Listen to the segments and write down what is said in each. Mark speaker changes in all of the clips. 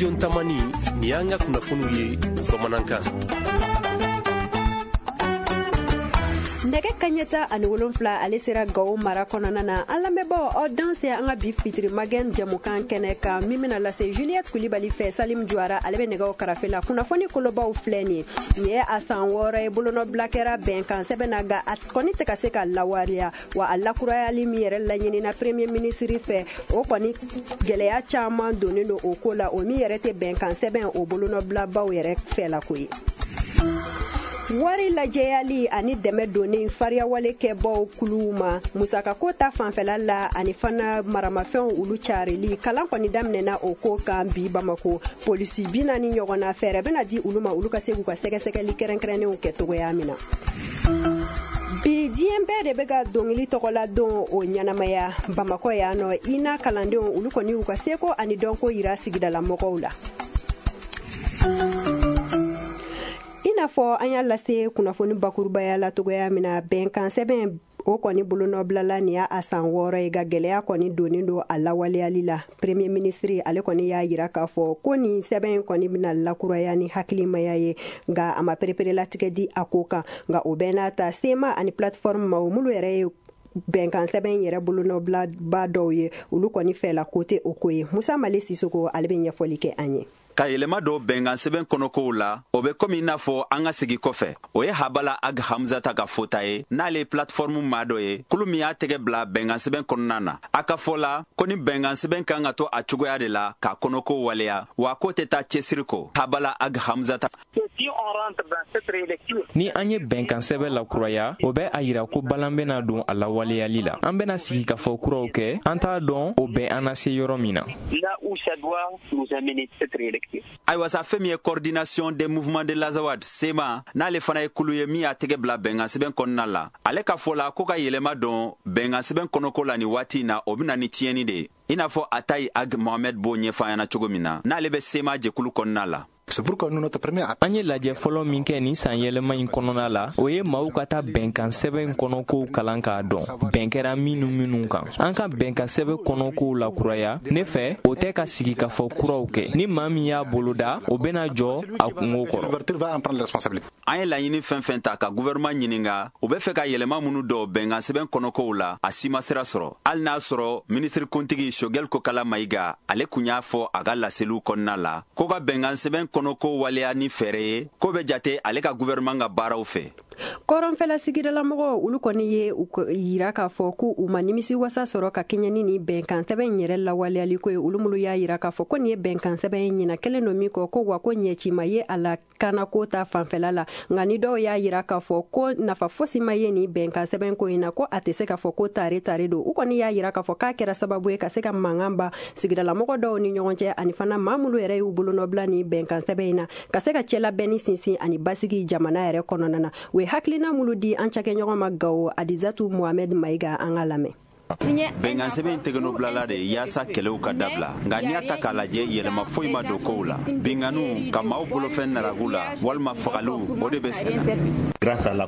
Speaker 1: Studio Tamani, nin y'an ka kunnafoniw ye bamanankan.
Speaker 2: Nɛgɛ kaɲɛ 17 ale sera Gawo mara kɔnɔna na. An lamɛnbaaw, aw danse an ka bi fitiri magɛn jɛmukan kɛnɛ kan min bɛna lase Juliette Kulibali fɛ. Salim Juwara ale bɛ nɛgɛw karafe la. Kunnafoni kolobaw filɛ nin ye. Nin ye a san 6 ye bolonɔbila kɛra bɛnkan sɛbɛn na, nka a kɔni tɛ ka se ka lawaleya. Wa a lakurayali min yɛrɛ laɲinina premier ministre fɛ, o kɔni gɛlɛya caman donnen don o ko la, o min yɛrɛ tɛ bɛnkan sɛbɛn o bolonɔbilabaw yɛrɛ fɛlako ye. Wari lajɛyali ani dɛmɛ donnen fariyawale kɛbaw kuluw ma musakako ta fanfɛla la, ani fana maramafɛnw olu carili kalan kɔni daminɛna o ko kan bi Bamako. Polisi 40 ɲɔgɔn na fɛɛrɛ bɛna di olu ma, olu ka se k'u ka sɛgɛsɛgɛli kɛrɛnkɛrɛnnenw kɛ cogoya min na. Bi diɲɛ bɛɛ de bɛ ka dɔnkili tɔgɔla don o ɲɛnamaya Bamakɔ yan nɔ. INA kalandenw olu kɔni y'u ka seko ani dɔnko yira sigidala mɔgɔw la. I n'a fɔ an y'a lase kunnafoni bakurubaya la cogoya min na, bɛnkan sɛbɛn o kɔni bolonɔbilala nin y'a a san 6 ye, nka gɛlɛya kɔni donnen don a lawaleyali la. Premier ministre ale kɔni y'a yira k'a fɔ ko nin sɛbɛn in kɔni bɛna lakuraya ni hakilimaya ye, nka a ma pereperelatigɛ di a ko kan. Nka o bɛɛ n'a ta, CMA ani plateforme maaw minnu yɛrɛ ye bɛnkan sɛbɛn yɛrɛ bolonɔbilaba dɔw ye, olu kɔni fɛla ko tɛ o ko ye. Musa Male Sisoko ale bɛ ɲɛfɔli kɛ an ye.
Speaker 3: Ka yɛlɛma dɔ bɛnkan sɛbɛn kɔnɔkow la, o bɛ komi i n'a fɔ an ka segi kɔfɛ. O ye Habala Ag Hamzata ka fota ye, n'ale ye plateforme maa dɔ ye, kulu min y'a tɛgɛ bila bɛnkan sɛbɛn kɔnɔna na. A ka fɔ la ko ni bɛnkan sɛbɛn kan ka to a cogoya de la k'a kɔnɔko waleya, wa ko tɛ taa cɛsiri kɔ. Habala Ag Hamzata.
Speaker 4: Ni an ye bɛnkan sɛbɛn lakuraya, o bɛ a yira ko balan bɛna don a lawaleyali la. An bɛna sigikafɔ kuraw kɛ, an t'a dɔn o bɛ an na se yɔrɔ min na.
Speaker 3: Ayiwa sa, fɛn min ye Coordination des mouvements de l'Azawad, CMA, n'ale fana ye kulu ye min y'a tɛgɛ bila bɛnkan sɛbɛn kɔnɔna la, ale ka fɔ la ko ka yɛlɛma don bɛnkan sɛbɛn kɔnɔko la nin waati in na, o bɛna ni tiɲɛni de ye, i n'a fɔ Atayi Ag Mohamed b'o ɲɛfɔ an ɲɛna cogo min na, n'ale bɛ CMA jɛkulu kɔnɔna la.
Speaker 4: An ye lajɛ fɔlɔ min kɛ nin san yɛlɛma in kɔnɔna la, o ye maaw ka taa bɛnkan sɛbɛn kɔnɔkow kalan k'a dɔn bɛn kɛra minnu minnu kan. An ka bɛnkan sɛbɛn kɔnɔkow lakuraya, ne fɛ, o tɛ ka sigikafɔ kuraw kɛ. Ni maa min y'a boloda, o bɛna jɔ a kungo kɔrɔ.
Speaker 3: An ye laɲini fɛn fɛn ta ka gouvernement ɲininga, u bɛ fɛ ka yɛlɛma minnu dɔw bɛnkan sɛbɛn kɔnɔkow la, a si ma sira sɔrɔ, hali n'a sɔrɔ minisiri kuntigi Choguel Kokala Mayiga ale kun y'a fɔ a ka laseliw kɔnɔna la ko ka bɛnkan sɛbɛn kɔnɔko waleya ni fɛɛrɛ ye ko bɛ jate ale ka gouvernement ka baaraw fɛ.
Speaker 2: Kɔrɔnfɛla sigidalamɔgɔw olu kɔni ye u yira k'a fɔ ko u ma nimisi wasa sɔrɔ ka kɛɲɛ ni nin bɛnkan sɛbɛn yɛrɛ lawaleyali ko ye. Olu minnu y'a yira k'a fɔ ko nin ye bɛnkan sɛbɛn ɲina kelen don min kɔ ko, wa ko ɲɛcima ye a la kanako ta fanfɛla la. Nka ni dɔw y'a yira k'a fɔ ko nafa fosi ma ye nin bɛnkan sɛbɛn ko in na, ko a tɛ se k'a fɔ ko tare tare don. U kɔni y'a yira k'a fɔ k'a kɛra sababu ye ka se ka mankan ba sigidalamɔgɔ dɔw ni ɲɔgɔn cɛ, ani fana maa minnu yɛrɛ y'u bolonɔbila nin bɛnkan sɛbɛn in na, ka se ka cɛlabɛnni sinsin ani basigi jamana yɛrɛ kɔnɔna na. U ye hakilina minnu di an cakɛɲɔgɔn ma Gawo, Adizatu Mohamɛd Mayiga, an ka lamɛn.
Speaker 3: Bɛnkan sɛbɛn tɛgɛnɔbilala de yaasa kɛlɛw ka dabila, nka n'i y'a ta k'a lajɛ, yɛlɛma foyi ma don kow la. Binganiw ka maaw bolofɛn naragu la walima fagaliw, o de bɛ senna.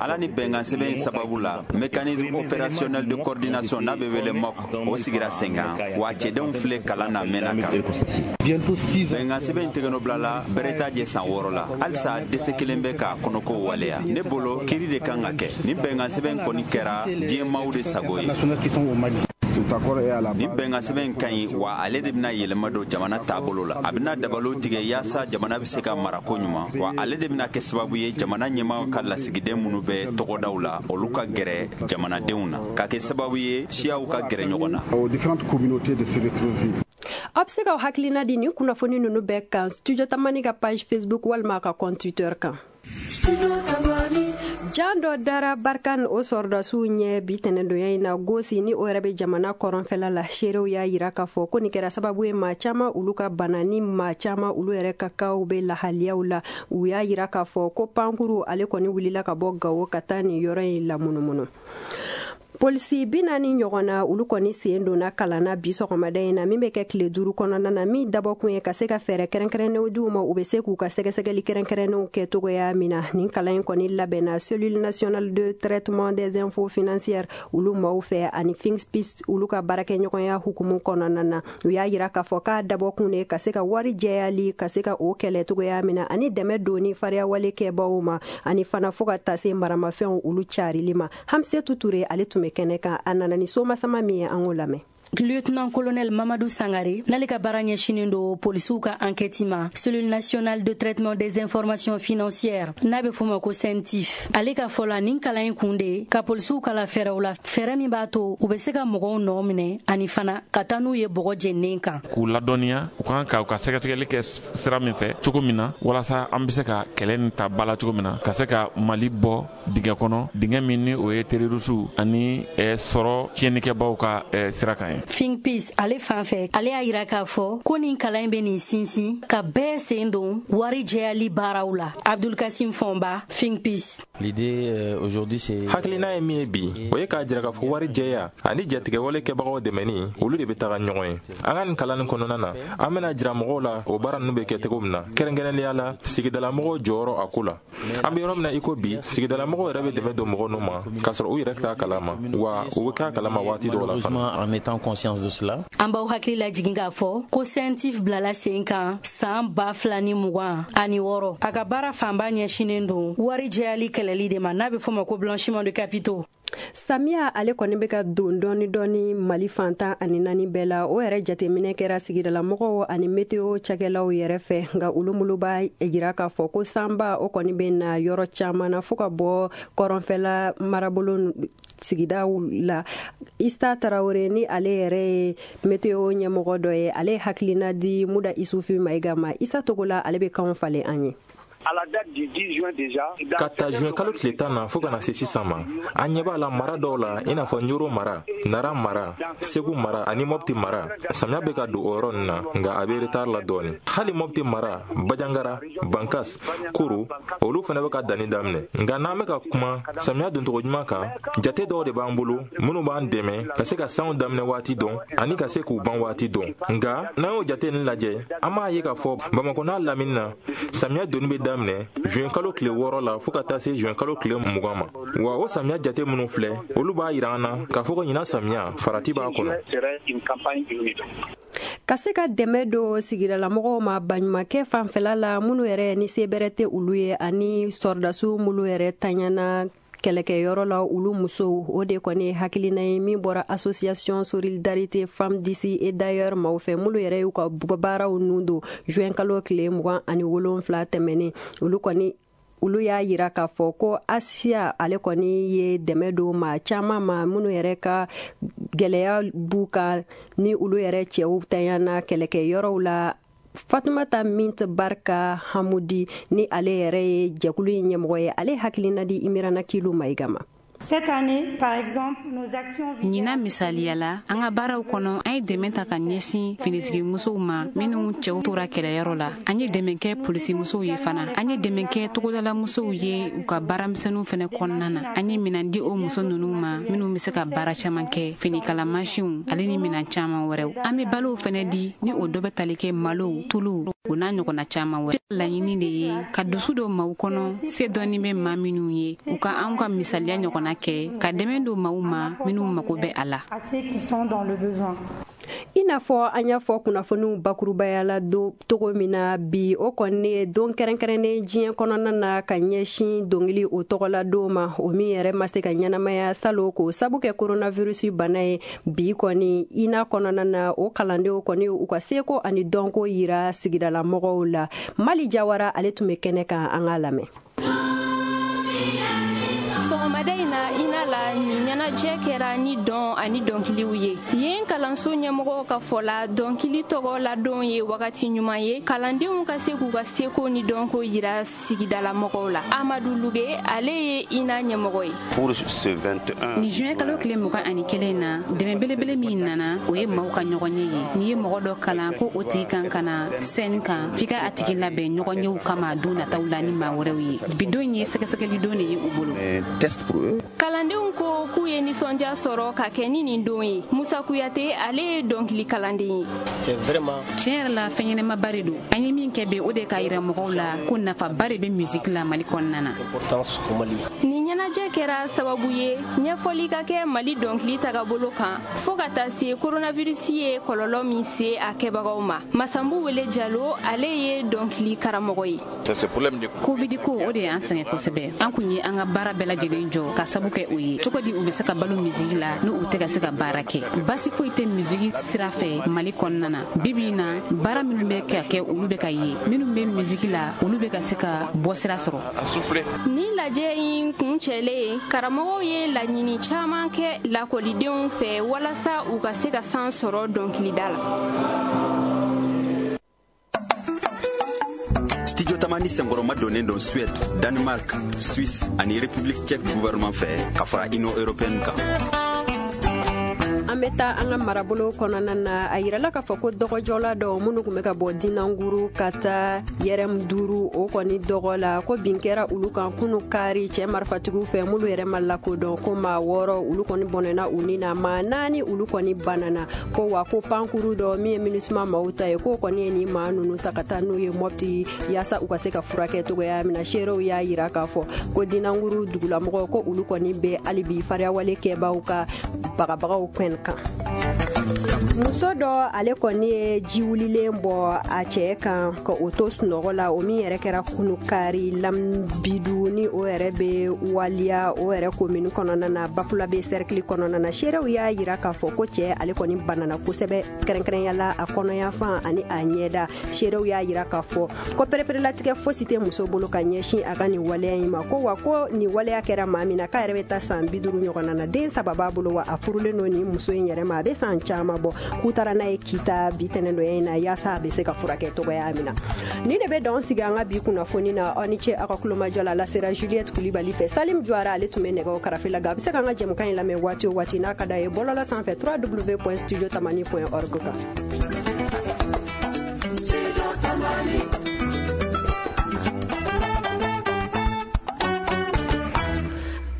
Speaker 3: Ala ni bɛnkan sɛbɛn sababu la, Mécanisme opérationnel de coordination n'a bɛ wele MOC, o sigira sen kan, wa cɛdenw filɛ kalan na mɛnna kan. Bɛnkan sɛbɛn tɛgɛnɔbilala bɛrɛ t'a jɛ san 6 la, halisa dɛsɛ kelen bɛ k'a kɔnɔko waleya. Ne bolo, kiiri de kan ka kɛ. Ni bɛnkan sɛbɛn kɔni kɛra diɲɛ maaw de sago ye. Ni bɛnkan sɛbɛn ka ɲi, wa ale de bɛna yɛlɛma don jamana taabolo la. A bɛna dabalo tigɛ yaasa jamana bɛ se ka mara ko ɲuman, wa ale de bɛna kɛ sababu ye jamana ɲɛmaaw ka lasigiden minnu bɛ tɔgɔdaw la, olu ka gɛrɛ jamanadenw na, ka kɛ sababu ye siyaw ka gɛrɛ ɲɔgɔn na.
Speaker 2: Aw bɛ se k'aw hakilina di nin kunnafoni ninnu bɛɛ kan Studio Tamani ka page Facebook walima a ka compte Twitter kan. Jan dɔ dara Barkhane o sɔrɔdasiw ɲɛ bi tɛnɛndonya in na Gosi, ni o yɛrɛ bɛ jamana kɔrɔnfɛla la. Seerew y'a yira k'a fɔ ko nin kɛra sababu ye maa caman olu ka bana, ni maa caman olu yɛrɛ ka kaw bɛ lahaliyaw la. U y'a yira k'a fɔ ko pankuru ale kɔni wulila ka bɔ Gawo ka taa nin yɔrɔ in lamunumunu. Polisi 40 ɲɔgɔn na, olu kɔni sen donna kalan na bi sɔgɔmada in na, min bɛ kɛ tile 5 kɔnɔna na, min dabɔkun ye ka se ka fɛɛrɛ kɛrɛnkɛrɛnnenw di u ma, u bɛ se k'u ka sɛgɛsɛgɛli kɛrɛnkɛrɛnnenw kɛ cogoya min na. Nin kalan in kɔni labɛnna Cellule nationale de traitement des infos financières olu maaw fɛ ani FINPIS olu ka baarakɛɲɔgɔnya hukumu kɔnɔna na. U y'a yira k'a fɔ k'a dabɔkun de ka se ka wari jɛyali ka se ka o kɛlɛ cogoya min na, ani dɛmɛ donni fariyawale kɛbaw ma, ani fana fo ka taa se maramafɛnw olu carili ma. Hamsetu Ture ale tun bɛ kɛnɛ kan, a nana ni somasama min ye, an k'o lamɛn.
Speaker 5: Lieutenant colonel Mamadou Sangare n'ale ka baara ɲɛsinnen don polisiw ka enquête ma, Cellule nationale de traitement des informations financières n'a bɛ f'o ma ko CENTIF, ale ka fɔ la, nin kalan in kun de ka polisiw kala fɛɛrɛw la, fɛɛrɛ min b'a to u bɛ se ka mɔgɔw nɔ minɛ ani fana ka taa n'u ye bɔgɔ jeninen kan.
Speaker 6: K'u ladɔnniya u kan ka u ka sɛgɛsɛgɛli kɛ sira min fɛ cogo min na, walasa an bɛ se ka kɛlɛ nin ta ba la cogo min na, ka se ka Mali bɔ dingɛ kɔnɔ, dingɛ min ni o ye terroriste ani sɔrɔ tiɲɛnikɛbaw ka sira kan ye.
Speaker 5: FINPIS ale fan fɛ, ale y'a yira k'a fɔ ko nin kalan in bɛ nin sinsin ka bɛɛ sen don wari jɛyali baaraw la. Abdulkasim Fɔnba, FINPIS.
Speaker 7: L'idée aujourd'hui, c'est
Speaker 8: Hakilina ye min ye bi, o ye k'a jira k'a fɔ wari jɛya ani jatigɛwale kɛbagaw dɛmɛni, olu de bɛ taga ɲɔgɔn ye. An ka nin kalan nin kɔnɔna na, an bɛna jira mɔgɔw la o baara ninnu bɛ kɛ cogo min na, kɛrɛnkɛrɛnnenya la sigidalamɔgɔw jɔyɔrɔ a ko la. An bɛ yɔrɔ min na i ko bi, sigidalamɔgɔw yɛrɛ bɛ dɛmɛ don mɔgɔ ninnu ma k'a sɔrɔ u yɛrɛ t'a kalama, wa u bɛ k'a kalama waati dɔw la fana.
Speaker 7: En étant conscience de cela.
Speaker 5: An b'aw hakili lajigin k'a fɔ ko CENTIF bilala sen kan san 2026. A ka baara fanba ɲɛsinnen don wari jɛyali kɛlɛli de ma, n'a bɛ f'o ma ko blanchiment de capitaux.
Speaker 2: Samiya ale kɔni bɛ ka don dɔɔni dɔɔni Mali fan 14 bɛɛ la. O yɛrɛ jateminɛ kɛra sigidalamɔgɔw ani météo cakɛlaw yɛrɛ fɛ, nka olu minnu b'a jira k'a fɔ ko sanba o kɔni bɛ na yɔrɔ caman na fo ka bɔ kɔrɔnfɛla marabolo sigidaw la. Ista Tarawele ni ale yɛrɛ ye météo ɲɛmɔgɔ dɔ ye, ale ye hakilina di Muda Isufi Mayiga ma. Isa Togola ale bɛ kanw falen an ye.
Speaker 8: Ka ta juin kalo tile 10 na fo ka na se sisan ma, an ɲɛ b'a la mara dɔw la, i n'a fɔ Ɲoro mara, Nara mara, Segu mara ani Mɔpti mara, samiya bɛ ka don o yɔrɔ ninnu na, nka a bɛ retard la dɔɔni. Hali Mɔpti mara, Bajangara, Bankas, Koro, olu fana bɛ ka danni daminɛ. Nka n'an bɛ ka kuma samiya doncogo ɲuman kan, jate dɔw de b'an bolo minnu b'an dɛmɛ ka se ka sanw daminɛ waati dɔn ani ka se k'u ban waati dɔn. Nka n'an y'o jate ninnu lajɛ, an b'a ye k'a fɔ Bamakɔ n'a lamini na, samiya donni bɛ daminɛ juin kalo tile 6 la fo ka taa se juin kalo tile 20 ma. Wa o samiya jate minnu filɛ, olu b'a yira an na k'a fɔ ko ɲinan samiya farati b'a kɔnɔ.
Speaker 2: Ka se ka dɛmɛ don sigidalamɔgɔw ma baɲumankɛ fanfɛla la, minnu yɛrɛ ni se bɛrɛ tɛ olu ye, ani sɔrɔdasiw minnu yɛrɛ taɲana kɛlɛkɛyɔrɔ la, olu musow, o de kɔni hakilina ye min bɔra Association Solidarité Femmes d'ici et d'ailleurs maaw fɛ, minnu yɛrɛ y'u ka baaraw nun don juin kalo tile 27 tɛmɛnen. Olu kɔni olu y'a yira k'a fɔ ko Asiya ale kɔni ye dɛmɛ don maa caman ma, minnu yɛrɛ ka gɛlɛya b'u kan ni olu yɛrɛ cɛw tanyana kɛlɛkɛyɔrɔw la. Fatumata Mint Barka Hamudi ni ale yɛrɛ ye jɛkulu in ɲɛmɔgɔ ye, ale hakilina di Imirana Kilu Mayiga ma.
Speaker 9: Ɲinan misaliya la, an ka baaraw kɔnɔ, an ye dɛmɛ ta ka ɲɛsin finitigimusow ma minnu cɛw tora kɛlɛyɔrɔ la. An ye dɛmɛ kɛ polisimusow ye fana. An ye dɛmɛ kɛ togodalamusow ye u ka baaramisɛnninw fɛnɛ kɔnɔna na. An ye minan di o muso ninnu ma minnu bɛ se ka baara caman kɛ, finikalamansinw ale ni minan caman wɛrɛw. An bɛ balow fɛnɛ di, ni o dɔ bɛ tali kɛ malow, tuluw o n'a ɲɔgɔnna caman wɛrɛ. Laɲini de ye ka dusu don maaw kɔnɔ, se dɔɔni bɛ maa minnu ye, u ka anw ka misaliya ɲɔgɔnna kɛ ka dɛmɛ don maaw ma minnu mago bɛ a la.
Speaker 2: I n'a fɔ an y'a fɔ kunnafoniw bakurubaya la togo min na bi, o kɔni ye don kɛrɛnkɛrɛnnen diɲɛ kɔnɔna na ka ɲɛsin dɔnkili o tɔgɔla don ma, o min yɛrɛ ma se ka ɲɛnamaya salo k'o sabu kɛ coronavirus bana ye. Bi kɔni INA kɔnɔna na, o kalandenw kɔni u ka seko ani dɔnko yira sigidalamɔgɔw la. Mali Jawara ale tun bɛ kɛnɛ kan, an k'a lamɛn.
Speaker 10: Sɔgɔmada in na INA la, nin ɲɛnajɛ kɛra ni dɔn ani dɔnkiliw ye. Yen kalanso ɲɛmɔgɔw ka fɔ la, dɔnkili tɔgɔ ladon ye wagati ɲuman ye kalandenw ka se k'u ka seko ni dɔnko yira sigidalamɔgɔw la. Amadu Luge ale ye INA ɲɛmɔgɔ ye.
Speaker 9: Nin juin kalo tile 21 na, dɛmɛ belebele min nana, o ye maaw ka ɲɔgɔnye ye. N'i ye mɔgɔ dɔ kalan ko o tigi kan ka na sɛni kan, f'i ka a tigi labɛn ɲɔgɔnyew kama don nataw la ni maa wɛrɛw ye. Bi don ye sɛgɛsɛgɛli don de ye u bolo.
Speaker 10: Kalandenw ko k'u k'u ye nisɔndiya sɔrɔ ka kɛ ni nin don ye. Musa Kuyate, ale ye dɔnkili kalanden ye.
Speaker 9: Tiɲɛ yɛrɛ la, fɛn ɲɛnamaba de don. An ye min kɛ bi, o de k'a yira mɔgɔw la ko nafaba de bɛ musique la Mali kɔnɔna na.
Speaker 10: Nin ɲɛnajɛ kɛra sababu ye ɲɛfɔli ka kɛ Mali dɔnkili tagabolo kan, fɔɔ ka taa se coronavirus ye kɔlɔlɔ min se a kɛbagaw ma. Masanbu Wele Jalo, ale ye dɔnkili karamɔgɔ ye.
Speaker 9: Covid ko, o de y'an sɛgɛn kosɛbɛ. An kun ye an ka baara bɛɛ lajɛlen jɔ ka sabu kɛ o ye. Cogo di u bɛ se ka balo misigi la n'u u tɛ ka se ka baara kɛ? Basi foyi tɛ misigi sira fɛ Mali kɔnɔna na. Bibi in na, baara minnu bɛ ka kɛ, olu bɛ ka ye. Minnu bɛ misigi la, olu bɛ ka se ka bɔ sira sɔrɔ.
Speaker 10: Nin lajɛ in kuncɛlen, karamɔgɔw ye laɲini caman kɛ lakɔlidenw fɛ walasa u ka se ka san sɔrɔ dɔnkilida la.
Speaker 3: Studio Tamani senkɔrɔma donnen don Suède, Danemark, Suisse ani République tchèque gouvernement fɛ, ka fara Union européenne kan.
Speaker 2: An bɛ taa an ka marabolo kɔnɔna na. A yirala k'a fɔ ko dɔgɔjɔla dɔw minnu tun bɛ ka bɔ Dinanguru ka taa Yɛrɛm 5, o kɔni dɔgɔ la, ko bin kɛra olu kan kunu kari cɛ marifatigiw fɛ minnu yɛrɛ ma lakodɔn. Ko maa 6 olu kɔni bɔnɛna u ni na, maa 4 olu kɔni banana. Ko wa ko pankuru dɔ min ye MINUSMA maaw ta ye, k'o kɔni ye nin maa ninnu ta ka taa n'u ye Mɔpti yaasa u ka se ka furakɛ cogoya min na. Seerew y'a yira k'a fɔ ko Dinanguru dugulamɔgɔw, ko olu kɔni bɛ hali bi fariyawale kɛbaaw ka bagabagaw kɛn kan. Muso dɔ, ale kɔni ye ji wulilen bɔ a cɛ kan ka o to sunɔgɔ la, o min yɛrɛ kɛra kunu kari Lambidu, ni o yɛrɛ bɛ Waliya, o yɛrɛ komini kɔnɔna na, Bafulabe cercle kɔnɔna na. Seerew y'a yira k'a fɔ ko cɛ ale kɔni banana kosɛbɛ, kɛrɛnkɛrɛnya a kɔnɔyanfan ani a ɲɛda. Seerew y'a yira k'a fɔ ko pereperelatigɛ fosi tɛ muso bolo ka ɲɛsin a ka nin waleya in ma. Ko wa ko nin waleya kɛra maa min na, k'a yɛrɛ bɛ taa san 50 ɲɔgɔnna na, den 3 b'a bolo, wa a furulen don nin muso in yɛrɛ ma, a bɛ san caman bɔ. K'u taara n'a ye Kita bi tɛnɛndonya in na yaasa a bɛ se ka furakɛ cogoya min na. Ni de bɛ dɔn sigi an ka bi kunnafoni na. Aw ni ce aw ka kulomajɔ la. Lasera Juliette Kulibali fɛ. Salim Juara, ale tun bɛ nɛgɛw karafe la. A bɛ se k'an ka jɛmukan in lamɛn waati o waati n'a ka d'a ye bɔlɔlɔ sanfɛ www.studiotamani.org kan.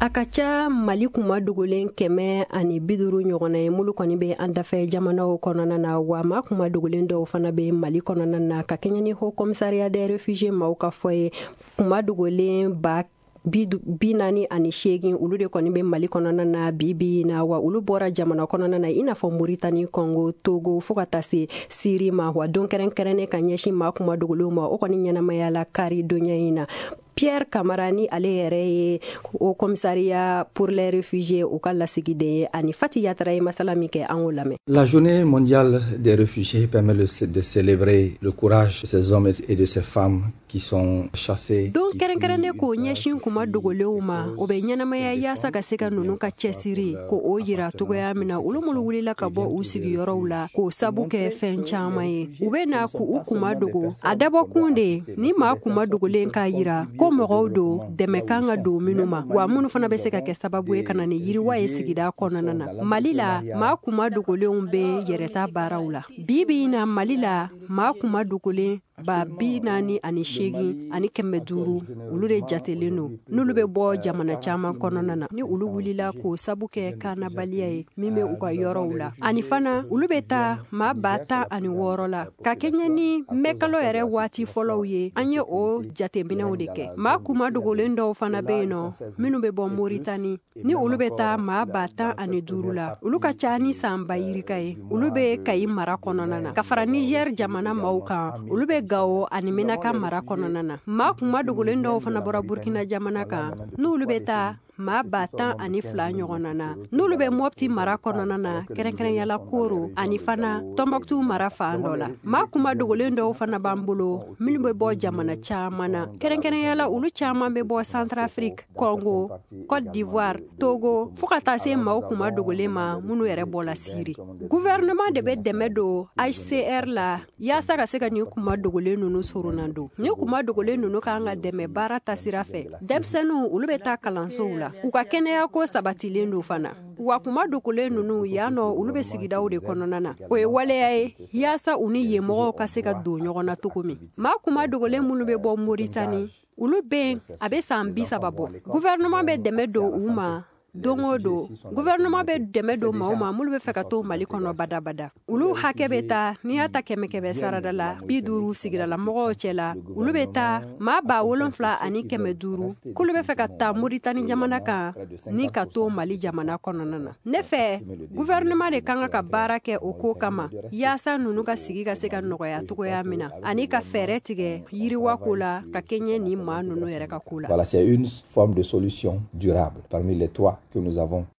Speaker 2: A ka ca Mali kuma dogolen 150 ɲɔgɔnna ye mulu kɔni bɛ an dafɛ jamanaw kɔnɔna na, wa maa kuma dogolen dɔw fana bɛ Mali kɔnɔna na, ka kɛɲɛ ni Haut Commissariat des réfugiés maaw ka fɔ ye. Kuma dogolen 48 olu de kɔni bɛ Mali kɔnɔna na bi bi na, wa olu bɔra jamana kɔnɔna na i n'a fɔ Moritani, Kɔngo, Togo, fo ka taa se Siri ma. Wa don kɛrɛnkɛrɛnnen ka ɲɛsin maa kuma dogolenw ma, o kɔni ɲɛnamaya la kari donya in na. Pierre Camara, ni ale yɛrɛ ye Haut Commissariat pour les réfugiés u ka lasigiden ye, ani Fati Yatara ye masala min kɛ, an k'o lamɛn.
Speaker 11: La journée mondiale des réfugiés permet de célébrer le courage de ces hommes et de ces femmes qui sont chassés.
Speaker 2: Don kɛrɛnkɛrɛnnen k'o ɲɛsin kuma dogolenw ma, o bɛ ɲɛnamaya yaasa ka se ka ninnu ka cɛsiri ko o yira cogoya min na. Olu minnu wulila ka bɔ u sigiyɔrɔw la k'o sabu kɛ fɛn caman ye, u bɛ na k'u kuma dogo. A dabɔkun de ni maa kuma dogolen k'a yira ko mɔgɔw don dɛmɛ kan ka don minnu ma, wa minnu fana bɛ se ka kɛ sababu ye ka na ni yiriwa ye sigida kɔnɔna na. Mali la, maa kuma dogolenw bɛ yɛrɛta baaraw la. Bi bi in na, Mali la, maa kuma dogolen 48 500 olu de jatelen don, n'olu bɛ bɔ jamana caman kɔnɔna na, ni olu wulila k'o sabu kɛ kanabaliya ye min bɛ u ka yɔrɔw la. Ani fana olu bɛ taa maa 16,000 la. Ka kɛɲɛ ni mɛkalo yɛrɛ waati fɔlɔw ye, an ye o jateminɛw de kɛ. Maa kuma dogolen dɔw fana bɛ yen nɔ minnu bɛ bɔ Moritani, ni olu bɛ taa maa 15,000 la. Olu ka ca ni san 20,000 ye. Olu bɛ Kayi mara kɔnɔna na, ka fara Niger jamana maaw kan, olu bɛ Gawo ani Menaka mara kɔnɔna na. Maa kuma dogolen dɔw fana bɔra Burkina jamana kan, n'olu bɛ taa maa 12,000 ɲɔgɔnna na, n'olu bɛ Mɔpti mara kɔnɔna na, kɛrɛnkɛrɛnyala Koro ani fana Tɔnbɔkutu mara fan dɔ la. Maa kuma dogolen dɔw fana b'an bolo minnu bɛ bɔ jamana caman na, kɛrɛnkɛrɛnyala olu caman bɛ bɔ Centrafrique, Congo, Côte d'Ivoire, Togo, fo ka taa se maaw kuma dogolen ma minnu yɛrɛ bɔla Siri. Gouvernement de bɛ dɛmɛ don HCR la yaasa ka se ka nin kuma dogolen ninnu sorona don. Nin kuma dogolen ninnu kan ka dɛmɛ baara tasira fɛ. Denmisɛnninw, olu bɛ taa kalansow la, u ka kɛnɛya ko sabatilen don fana. Wa kuma dogolen ninnu yan nɔ, olu bɛ sigidaw de kɔnɔna na. O ye waleya ye yaasa u ni yen mɔgɔw ka se ka don ɲɔgɔn na cogo min. Maa kuma dogolen minnu bɛ bɔ Moritani, olu bɛ a bɛ san 30 bɔ. Gouvernement bɛ dɛmɛ don u ma Don o don, gouvernement bɛ dɛmɛ don maaw ma minnu bɛ fɛ ka to Mali kɔnɔ badabada. Olu hakɛ bɛ taa, n'i y'a ta kɛmɛ kɛmɛ sarada la, 50 sigidala mɔgɔw cɛ la, olu bɛ taa maa 7500 k'olu bɛ fɛ ka taa Moritani jamana kan ni ka to Mali jamana kɔnɔna na. Ne fɛ, gouvernement de kan ka baara kɛ o ko kama, yaasa ninnu ka sigi ka se ka nɔgɔya cogoya min na, ani ka fɛɛrɛ tigɛ yiriwa ko la ka kɛɲɛ ni maa ninnu yɛrɛ ka ko la.
Speaker 11: Voilà, c'est une forme de solution durable parmi les trois que nous avons.